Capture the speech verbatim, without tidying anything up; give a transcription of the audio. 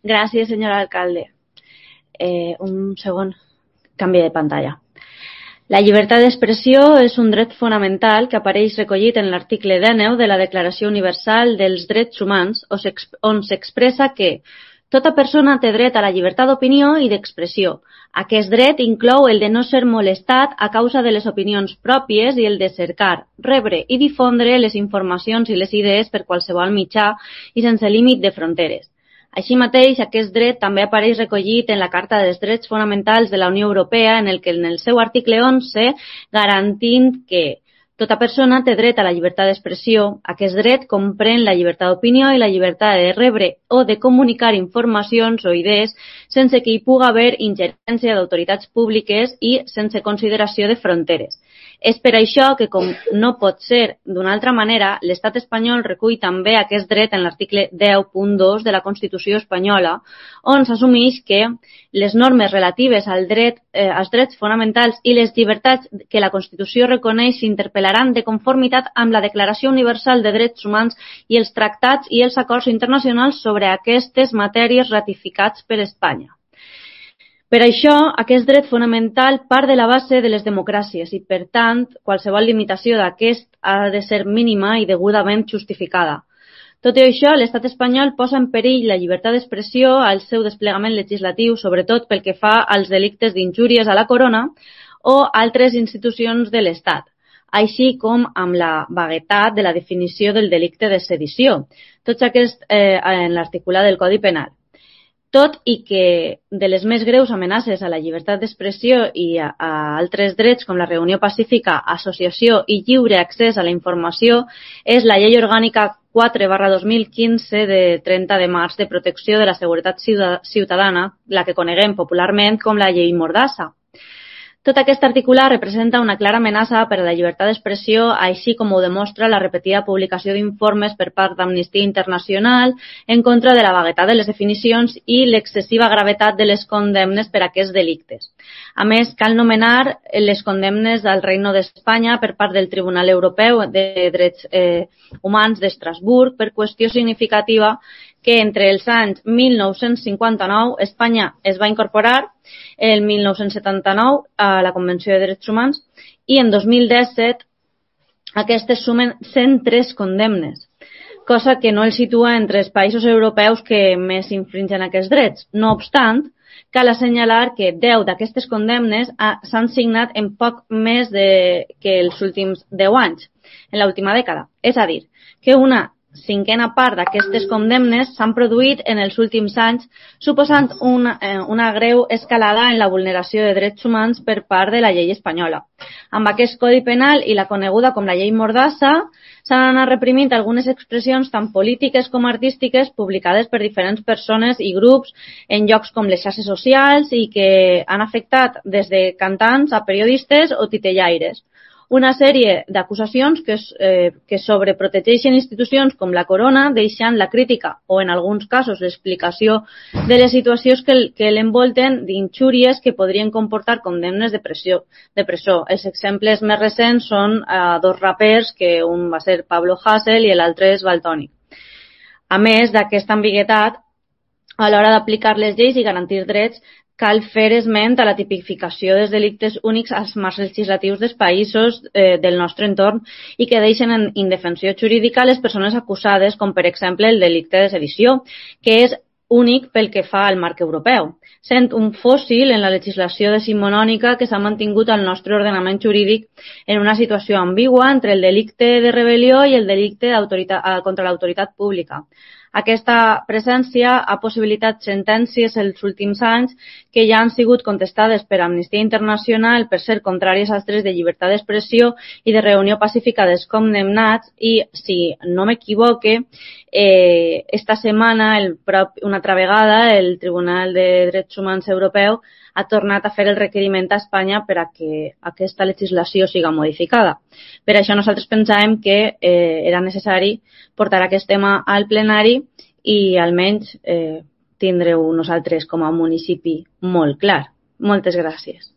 Gràcies, senyor alcalde. Eh, un segon, canvi de pantalla. La llibertat d'expressió és un dret fonamental que apareix recollit en l'article dinou de la Declaració Universal dels Drets Humans, on s'expressa que tota persona té dret a la llibertat d'opinió i d'expressió. Aquest dret inclou el de no ser molestat a causa de les opinions pròpies i el de cercar, rebre i difondre les informacions i les idees per qualsevol mitjà i sense límit de fronteres. Així mateix, aquest dret també apareix recollit en la Carta dels Drets Fonamentals de la Unió Europea, en el que en el seu article onze garantint que tota persona té dret a la llibertat d'expressió. Aquest dret comprèn la llibertat d'opinió i la llibertat de rebre o de comunicar informacions o idees sense que hi pugui haver ingerència d'autoritats públiques i sense consideració de fronteres. És per això que, com no pot ser d'una altra manera, l'Estat espanyol recull també aquest dret en l'article deu punt dos de la Constitució espanyola, on s'assumeix que les normes relatives al dret, eh, als drets fonamentals i les llibertats que la Constitució reconeix s'interpel·laran de conformitat amb la Declaració Universal de Drets Humans i els tractats i els acords internacionals sobre aquestes matèries ratificats per Espanya. Per això, aquest dret fonamental part de la base de les democràcies i, per tant, qualsevol limitació d'aquest ha de ser mínima i degudament justificada. Tot i això, l'Estat espanyol posa en perill la llibertat d'expressió al seu desplegament legislatiu, sobretot pel que fa als delictes d'injúries a la corona o altres institucions de l'Estat, així com amb la vaguetat de la definició del delicte de sedició, tots aquests eh, en l'articulat del Codi Penal. Tot i que de les més greus amenaces a la llibertat d'expressió i a, a altres drets com la reunió pacífica, associació i lliure accés a la informació és la Llei Orgànica quatre barra dos mil quinze de trenta de març de protecció de la seguretat ciutadana, la que coneguem popularment com la Llei Mordassa. Tot aquest articulat representa una clara amenaça per a la llibertat d'expressió, així com ho demostra la repetida publicació d'informes per part d'Amnistia Internacional en contra de la vaguetat de les definicions i l'excessiva gravetat de les condemnes per a aquests delictes. A més, cal nomenar les condemnes al Reino d'Espanya per part del Tribunal Europeu de Drets eh, Humans d'Estrasburg per qüestió significativa que entre els anys mil nou-cents cinquanta-nou Espanya es va incorporar el mil nou-cents setanta-nou a la Convenció de Drets Humans i en dos mil disset aquestes sumen cent tres condemnes, cosa que no els situa entre els països europeus que més infringen aquests drets. No obstant, cal assenyalar que deu d'aquestes condemnes s'han signat en poc més de, que els últims deu anys, en l'última dècada. És a dir, que una cinquena part d'aquestes condemnes s'han produït en els últims anys, suposant una, eh, una greu escalada en la vulneració de drets humans per part de la llei espanyola. Amb aquest Codi Penal i la coneguda com la Llei Mordassa, s'han anat reprimint algunes expressions tant polítiques com artístiques publicades per diferents persones i grups en llocs com les xarxes socials i que han afectat des de cantants a periodistes o titellaires. Una sèrie d'acusacions que, eh, que sobreprotegeixen institucions com la corona, deixant la crítica o, en alguns casos, l'explicació de les situacions que, que l'envolten d'injúries que podrien comportar condemnes de, pressió, de presó. Els exemples més recents són eh, dos rapers, que un va ser Pablo Hasél i l'altre és Valtònyc. A més d'aquesta ambigüitat, a l'hora d'aplicar les lleis i garantir drets, cal fer esment a la tipificació dels delictes únics als marcs legislatius dels països eh, del nostre entorn i que deixen en indefensió jurídica les persones acusades, com per exemple el delicte de sedició, que és únic pel que fa al marc europeu, sent un fòssil en la legislació decimonònica que s'ha mantingut al nostre ordenament jurídic en una situació ambigua entre el delicte de rebel·lió i el delicte contra l'autoritat pública. Aquesta presència ha possibilitat sentències els últims anys que ja han sigut contestades per Amnistia Internacional per ser contràries als drets de llibertat d'expressió i de reunió pacífica dels condemnats i, si no m'equivoque, eh, esta setmana, el prop, una altra vegada, el Tribunal de Drets Humans Europeu ha tornat a fer el requeriment a Espanya per a que aquesta legislació siga modificada. Per això nosaltres pensàvem que eh, era necessari portar aquest tema al plenari i almenys eh, tindreu nosaltres com a municipi molt clar. Moltes gràcies.